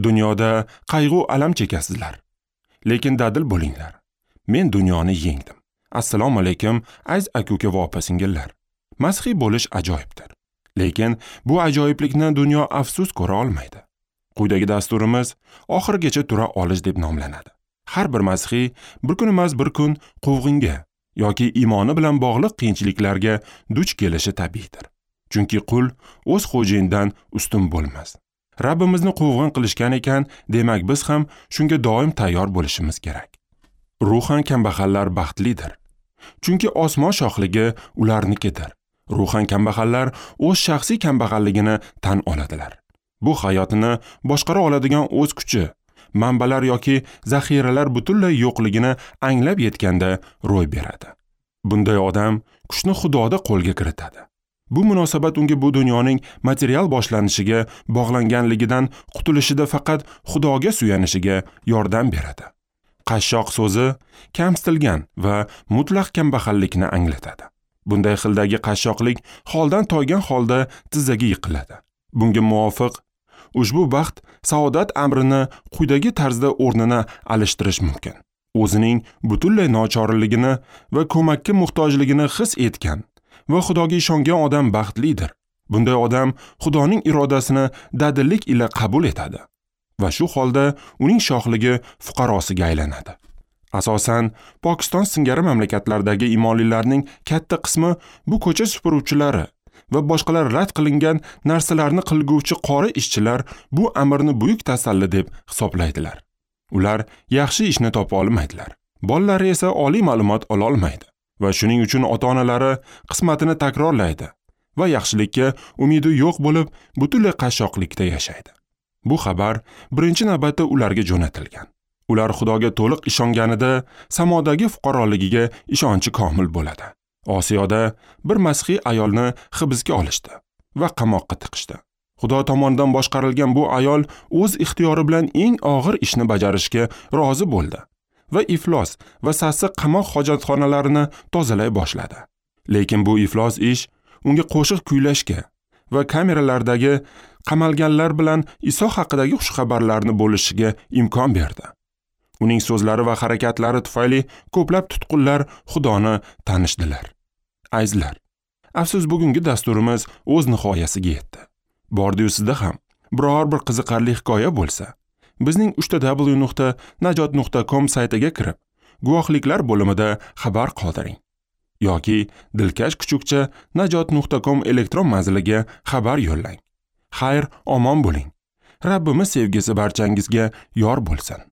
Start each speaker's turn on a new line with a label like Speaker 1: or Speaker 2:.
Speaker 1: Dunyoda qayg'u alam chekasizlar. Lekin dadil bo'linglar. Men dunyoni yengdim. Assalomu alaykum, aziz aka-uka va opa-singillar. Masihiy bo'lish ajoyibdir. Lekin bu ajoyiblikni dunyo afsus ko'ra olmaydi. Quyidagi dasturimiz oxirigacha tura olish deb nomlanadi. Har bir masihiy bir kun emas bir kun quvg'inga yoki iymoni bilan bog'liq qiyinchiliklarga duch kelishi tabiiydir. Chunki qul o'z xo'jayinidan ustun bo'lmas. Rabbimizni quvg'in qilishgan ekan, demak biz ham shunga doim tayyor bo'lishimiz kerak. Ruhan kambag'allar baxtlidir. Chunki osmon shohligi ularnikidir. Ruhan kambag'allar o'z shaxsiy kambag'alligini tan oladilar. Bu hayotini boshqara oladigan o'z kuchi, manbalar yoki zaxiralar butunlay yo'qligini anglab yetganda ro'y beradi. Bunday odam kuchni Xudoda qo'lga kiritadi. Bu munosabat unga bu dunyoning material boshlanishiga bog'langanligidan qutulishida faqat Xudoga suyanishiga yordam beradi. Qashshoq so'zi kamsitilgan va mutlaq kambag'allikni anglatadi. Bunday xildagi qashshoqlik holdan toygan holda tizzaga yiqiladi. Bunga muvofiq ushbu baxt saodat amrini quyidagi tarzda o'rnini alishtirish mumkin. O'zining butunlay nochorligini va ko'makka muhtojligini his etgan va Xudoga ishongan odam baxtlidir. Bunday odam Xudoning irodasini dadillik ila qabul etadi va shu holda uning shohligi fuqarosiga aylanadi. Asosan Pokiston singari mamlakatlardagi imonlilarning katta qismi bu ko'cha supuruvchilari va boshqalar rad qilingan narsalarni qilguvchi qora ishchilar bu amrni buyuk tasalli deb hisoblaydilar. Ular yaxshi ishni topa olmaydilar. Bolalari esa oliy ma'lumot ola olmaydi va shuning uchun ota-onalari qismatini takrorlaydi va yaxshilikka umidi yo'q bo'lib butunlay qashshoqlikda yashaydi. Bu xabar birinchi navbatda ularga jo'natilgan. Ular Xudoga to'liq ishonganida samodagi fuqaroligiga ishonchi komil bo'ladi. Osiyoda bir masihiy ayolni hibsga olishdi va qamoqqa tiqishdi. Xudo tomonidan boshqarilgan bu ayol o'z ixtiyori bilan eng og'ir ishni bajarishga rozi bo'ldi va iflos va sassiq qamoq hojatxonalarini tozalay boshladi. Lekin bu iflos ish unga qo'shiq kuylashga va kameralardagi qamalganlar bilan Iso haqidagi xushxabarlarni bo'lishiga imkon berdi. Uning so'zlari va harakatlari tufayli ko'plab tutqunlar Xudoni tanishdilar. Azizlar, afsus bugungi dasturimiz o'z nihoyasiga yetdi. Bordi-yu sizda ham biror bir qiziqarli hikoya bo'lsa, bizning www.najot.com saytiga kirib, guvohliklar bo'limida xabar qoldiring yoki dilkash kuchukcha najot.com elektron manziliga xabar yo'llang. Xayr, omon bo'ling. Rabbimiz sevgisi barchangizga yor bo'lsin.